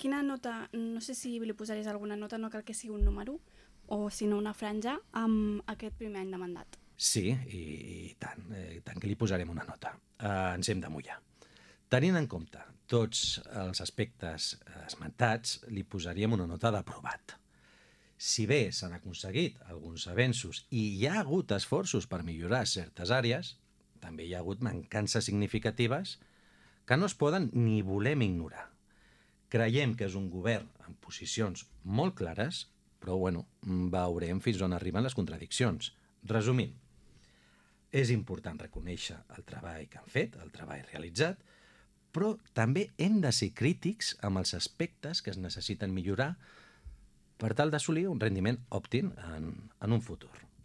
quina nota, no sé si li posaries alguna nota, no cal que sigui un número, o sinó una franja, amb aquest primer any de mandat? Sí, i tant que li posarem una nota. Ens hem de mullar. Tenint en compte tots els aspectes esmentats, li posaríem una nota d'aprovat. Si bé s'han aconseguit alguns avenços i hi ha hagut esforços per millorar certes àrees, també hi ha hagut mancances significatives que no es poden ni volem ignorar. Creiem que és un govern amb posicions molt clares, però veurem fins on arriben les contradiccions. Resumint, és important reconèixer el treball que han fet, el treball realitzat, però també hem de ser crítics amb els aspectes que es necessiten millorar per tal d'assolir un rendiment òptim en un futur.